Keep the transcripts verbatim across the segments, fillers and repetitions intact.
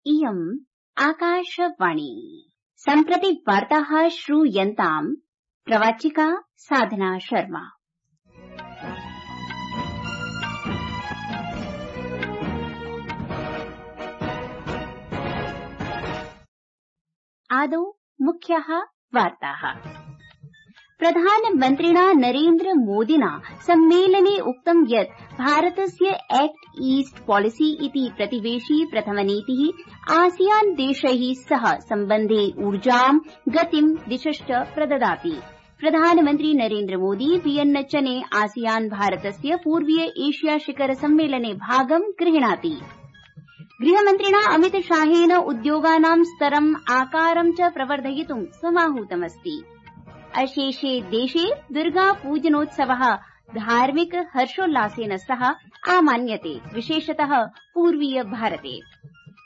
इयम् आकाशवाणी। सम्प्रति वार्ताः श्रूयन्ताम् प्रवाचिका साधना शर्मा। आदौ मुख्याः वार्ताः। प्रधानमन्त्रिणा नरेन्द्र मोदिना सम्मेलने उक्तं यत् भारतस्य एक्ट ईस्ट पॉलिसी इति प्रतिवेशी प्रथमनीतिः आसियान देशैः सह सम्बन्धे ऊर्जां गतिं दिशश्च प्रददाति। प्रधानमन्त्री नरेन्द्र मोदी वियन्नचने आसियान भारतस्य पूर्वीय एशिया शिखर सम्मेलने भागं गृह्णाति। गृहमन्त्रिणा अमितशाहेन उद्योगानां स्तरम् आकारं च प्रवर्धयितुं समाहूतमस्ति। अशेषे देशे दुर्गापूजनोत्सवः धार्मिक हर्षोल्लासेन सह आमान्यते, विशेषतः पूर्वीय भारते।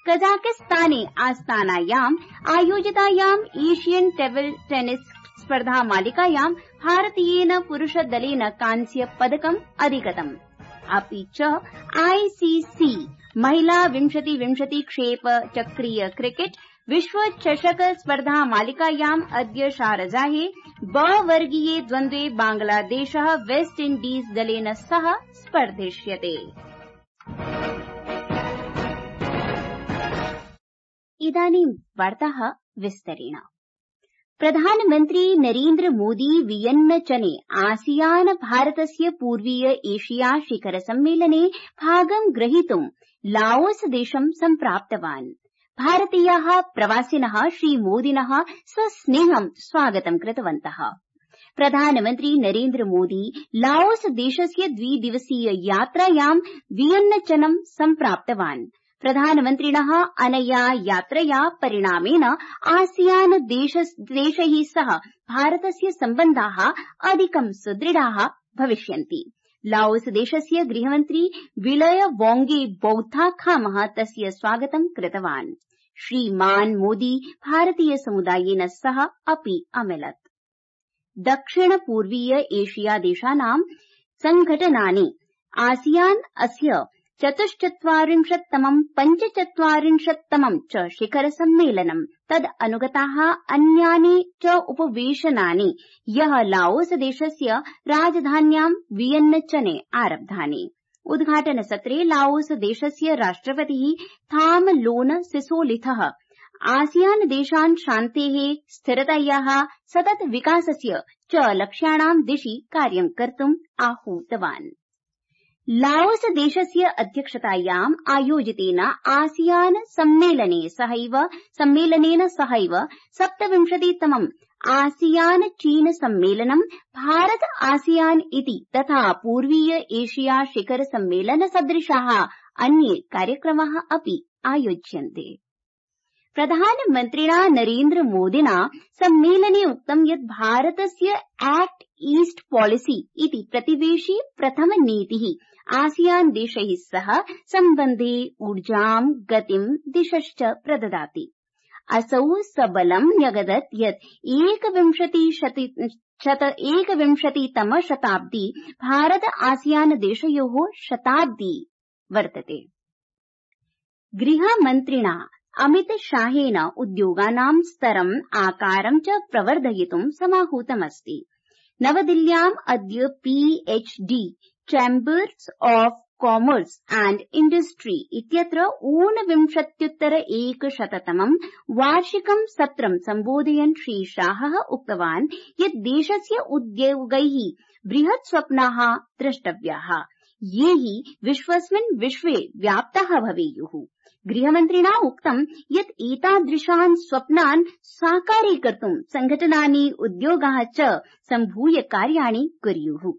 कजाकिस्ताने आस्तानायाम् आयोजितायाम् एशियन टेबल टेनिस स्पर्धा मालिकायां भारतीयेन पुरुषदलेन कांस्य पदकम् अधिगतम्। अपि च आईसीसी महिला विंशति विंशति क्षेप चक्रीय क्रिकेट विश्व चषक स्पर्धा मालिकायाम् अद्य शारजाहे ब वर्गीये द्वन्द्वे बांग्लादेशः वेस्ट इण्डीज दलेन सह स्पर्धिष्यते। इदानीं वार्ताः विस्तरेण। प्रधानमन्त्री नरेन्द्र मोदी वियन्नचने आसियान भारतस्य पूर्वीय एशिया शिखर सम्मेलने भागं ग्रहीतुं लाओस देशं सम्प्राप्तवान्। भारतीयाः प्रवासिनः श्रीमोदिनः सस्नेहं स्वागतं कृतवन्तः। प्रधानमन्त्री नरेन्द्र मोदी लाओस देशस्य द्विदिवसीय यात्रायां वियन्नचनं सम्प्राप्तवान्। प्रधानमन्त्रिणः अनया यात्रया परिणामेन आसियान देशैः सह भारतस्य सम्बन्धाः अधिकं सुदृढाः भविष्यन्ति। लाओस देशस्य गृहमन्त्री विलय वोंगे बौद्धाखामः तस्य स्वागतं कृतवान्। श्रीमान् मोदी भारतीय समुदायेन सह अपि अमिलत्। दक्षिण पूर्वीय एशिया देशानां संघटनानि आसियान अस्य चतुश्चत्वारिंशत्तमं पञ्चचत्वारिंशत्तमं च शिखर सम्मेलनं तद् अनुगताः अन्यानि च उपवेशनानि ह्यः लाओस देशस्य राजधान्यां वियन्नचने आरब्धानि। उद्घाटनसत्रे लाओस देशस्य राष्ट्रपतिः थामलोन सिसोलिथः आसियान देशान् शान्तेः, स्थिरतायाः, सतत विकासस्य च लक्ष्याणां दिशि कार्यं कर्तुम् आहूतवान्। लाओस देशस्य अध्यक्षतायाम् आयोजितेन आसियान सम्मेलने सहैव सम्मेलनेन सहैव सप्तविंशतितमम् आसियान चीन सम्मेलनं भारत आसियान इति तथा पूर्वीय एशिया शिखर सम्मेलन सदृशाः अन्ये कार्यक्रमाः अपि आयोज्यन्ते। प्रधानमन्त्रिणा नरेन्द्र मोदिना सम्मेलने उक्तं यत् भारतस्य एक्ट ईस्ट पॉलिसी इति प्रतिवेशी प्रथमनीतिः आसियान देशैः सह सम्बन्धे ऊर्जां गतिं दिशश्च प्रददाति। असौ सबलं न्यगदत् यत् एकविंशतितम शताब्दी भारत आसियान देशयोः शताब्दी वर्तते। गृहमन्त्रिणा अमितशाहेन उद्योगानां स्तरम् आकारं च प्रवर्धयितुं समाहूतमस्ति। नवदिल्ल्याम् अद्य PhD chambers of commerce and industry इत्यत्र ऊनविंशत्युत्तर एकशततमं वार्षिकं सत्रं सम्बोधयन् श्रीशाहः उक्तवान् यत् देशस्य उद्योगैः बृहत् स्वप्नाः द्रष्टव्याः, ये हि विश्वस्मिन् विश्वे व्याप्ताः भवेयुः। गृहमन्त्रिणा उक्तं यत् एतादृशान् स्वप्नान् साकारीकर्तुं संघटनानि उद्योगाः च सम्भूय कार्याणि कुर्युः।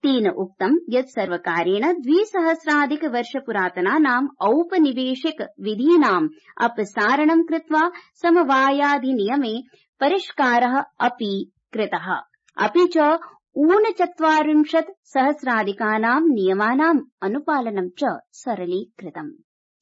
तेन उक्तं यत् सर्वकारेण द्विसहस्राधिक वर्ष पुरातनानाम् औपनिवेशिक विधीनाम् अपसारणं कृत्वा समवायाधिनियमे परिष्कारः अपि कृतः, अपि च ऊनचत्वारिंशत् सहस्राधिकानां नियमानाम् अनुपालनं च सरलीकृतम्।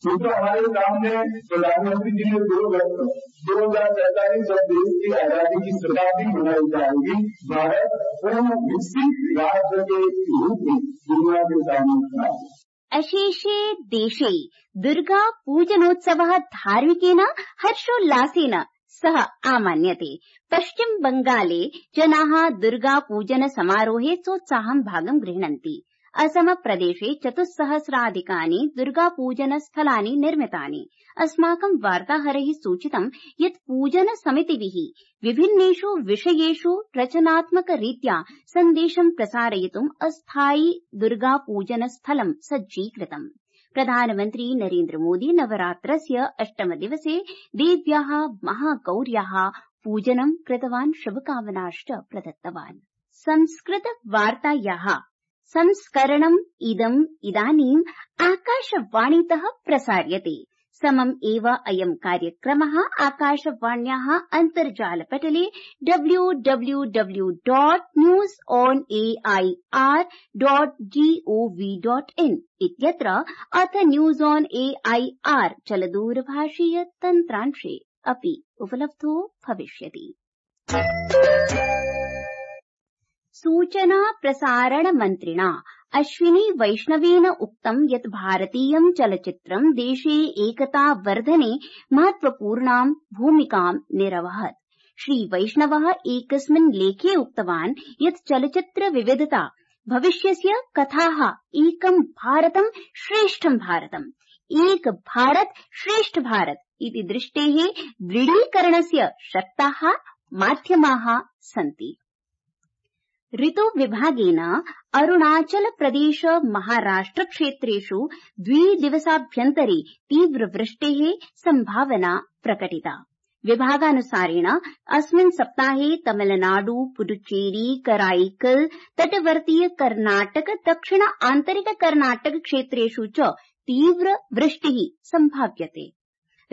क्योंकि हमारे सामने प्रधानमंत्री जी ने दो दो हजार सैतालीस जब देश की आजादी की शताब्दी मनाई जाएगी, भारत पूर्ण विकसित राज्य के रूप में दुनिया के सामने खड़ा है। अशेषे देशे दुर्गा पूजनोत्सवः धार्मिकेन हर्षोल्लासेन सह आमान्यते। पश्चिम बंगाले जनाः दुर्गा पूजन समारोहे सोत्साहं भागं गृह्णन्ति। असम प्रदेशे चतुस्सहस्राधिकानि दुर्गा पूजन स्थलानि निर्मितानि। अस्माकं वार्ताहरैः सूचितं यत् पूजन समितिभिः विभिन्नेषु विषयेषु रचनात्मकरीत्या सन्देशं प्रसारयितुम् अस्थायि दुर्गा पूजन स्थलं सज्जीकृतम्। प्रधानमन्त्री नरेन्द्र मोदी नवरात्रस्य अष्टमदिवसे देव्याः महागौर्याः पूजनं कृतवान्, शुभकामनाश्च प्रदत्तवान्। संस्कृत वार्तायाः संस्करणम् इदम् इदानीम् आकाशवाणीतः प्रसार्यते। समम् एव अयम् कार्यक्रमः आकाशवाण्याः अन्तर्जालपटले W W W dot news on A I R dot G O V dot in इत्यत्र अथ news on A I R चलदूरभाषीय तन्त्रांशे अपि उपलब्धो भविष्यति। सूचना प्रसारण मन्त्रिणा अश्विनी वैष्णवेन उक्तं यत् भारतीयं चलच्चित्रं देशे एकता वर्धने महत्वपूर्णां भूमिकां निरवहत्। श्री वैष्णवः एकस्मिन् लेखे उक्तवान् यत् चलच्चित्र विविधता भविष्यस्य कथाः एकं भारतं श्रेष्ठं भारतम्, एक भारत श्रेष्ठ भारत इति दृष्टेः दृढीकरणस्य शक्ताः माध्यमाः सन्ति। ऋतु विभागेन अरुणाचल प्रदेश महाराष्ट्र क्षेत्रेषु द्विदिवसाभ्यन्तरे तीव्रवृष्टेः सम्भावना प्रकटिता। विभागानुसारेण अस्मिन् सप्ताहे तमिलनाडु, पुडुचेरी, कराईकल, तटवर्तीय कर्नाटक, दक्षिण आन्तरिक कर्नाटक क्षेत्रेषु च तीव्रवृष्टिः सम्भाव्यते।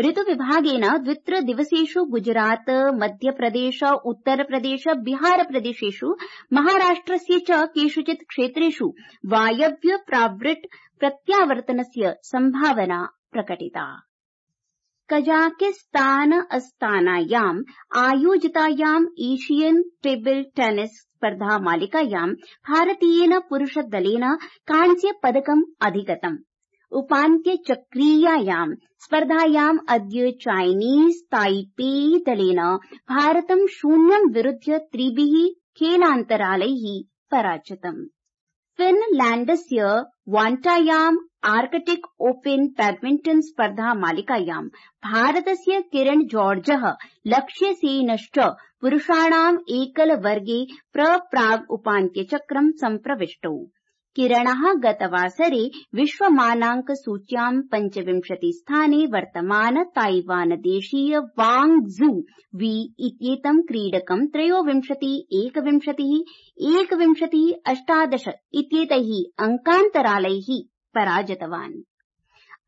ऋतुविभागेन द्वित्रदिवसेषु गुजरात, मध्यप्रदेश, उत्तरप्रदेश, बिहारप्रदेशेषु महाराष्ट्रस्य च केषुचित् क्षेत्रेषु वायव्य प्रावृट् प्रत्यावर्तनस्य सम्भावना प्रकटिता। कजाकिस्तान अस्तानायाम् आयोजितायाम् एशियन टेबल टेनिस स्पर्धा मालिकायां भारतीयेन पुरुषदलेन कांस्यपदकम् अधिगतम्। उपान्त्यचक्रीयायां स्पर्धायाम् अद्य चाइनीज ताइपेई दलेन भारतं शून्यं विरुध्य त्रिभिः खेलान्तरालैः पराजितम्। फिनलैण्डस्य वाण्टायाम् आर्कटिक ओपन बैडमिंटन स्पर्धा मालिकायां भारतस्य किरण जॉर्जः लक्ष्यसेनश्च पुरुषाणाम् एकलवर्गे प्रप्राग् उपान्त्यचक्रं सम्प्रविष्टौ। किरणः गतवासरे विश्वमानांक सूच्यां पञ्चविंशति स्थाने वर्तमान ताइवानदेशीय वांग जू वी इत्येतं क्रीडकं त्रयोविंशति एकविंशतिः एकविंशतिः अष्टादश इत्येतैः अंकान्तरालैः पराजितवान्।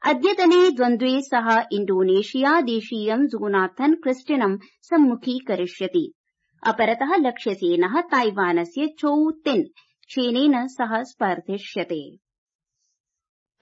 अद्यतने द्वन्द्वे सः इण्डोनेशिया देशीयं जोनाथन क्रिस्टिनं सम्मुखीकरिष्यति। अपरतः लक्ष्यसेनः ताइवानस्य चौ तिन चेनेन सह स्पर्धिष्यते।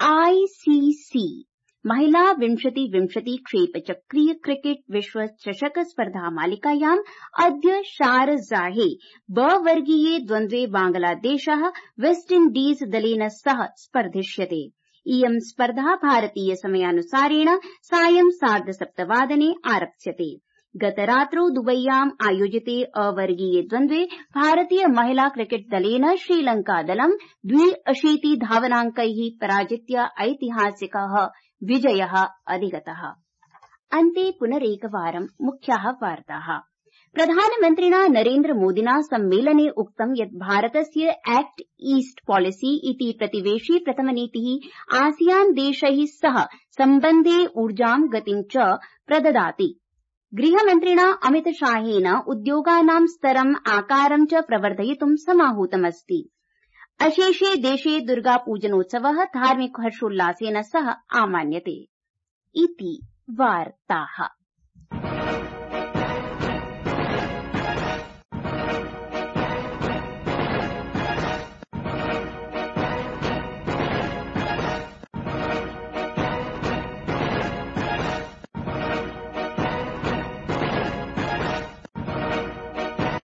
आईसीसी महिला विंशति विंशति क्षेपचक्रीय क्रिकेट विश्व चषक स्पर्धा मालिकायाम् अद्य शारजाहे ब वर्गीये द्वन्द्वे बांग्लादेशः वेस्ट इण्डीज दलेन सह स्पर्धिष्यते। इयं स्पर्धा भारतीय समयानुसारेण सायं सार्धसप्तवादने आरप्स्यते। गतरात्रौ दुबय्याम् आयोजिते अवर्गीये द्वन्द्वे भारतीय महिला क्रिकेट दलेन श्रीलंकादलं द्वि-अशीति धावनाङ्कैः पराजित्य ऐतिहासिकः विजयः अधिगतः। अन्ते पुनरेकवारं मुख्याः वार्ताः। प्रधानमन्त्रिणा नरेन्द्र मोदिना सम्मेलने उक्तं यत् भारतस्य एक्ट ईस्ट पॉलिसी इति प्रतिवेशी प्रथमनीतिः आसियान देशैः सह सम्बन्धे ऊर्जां गतिं च प्रददाति। गृहमन्त्रिणा अमितशाहेन उद्योगानां स्तरम् आकारं च प्रवर्धयितुं समाहूतमस्ति। अशेषे देशे दुर्गापूजनोत्सवः धार्मिक हर्षोल्लासेन सह आमान्यते। इति वार्ताः।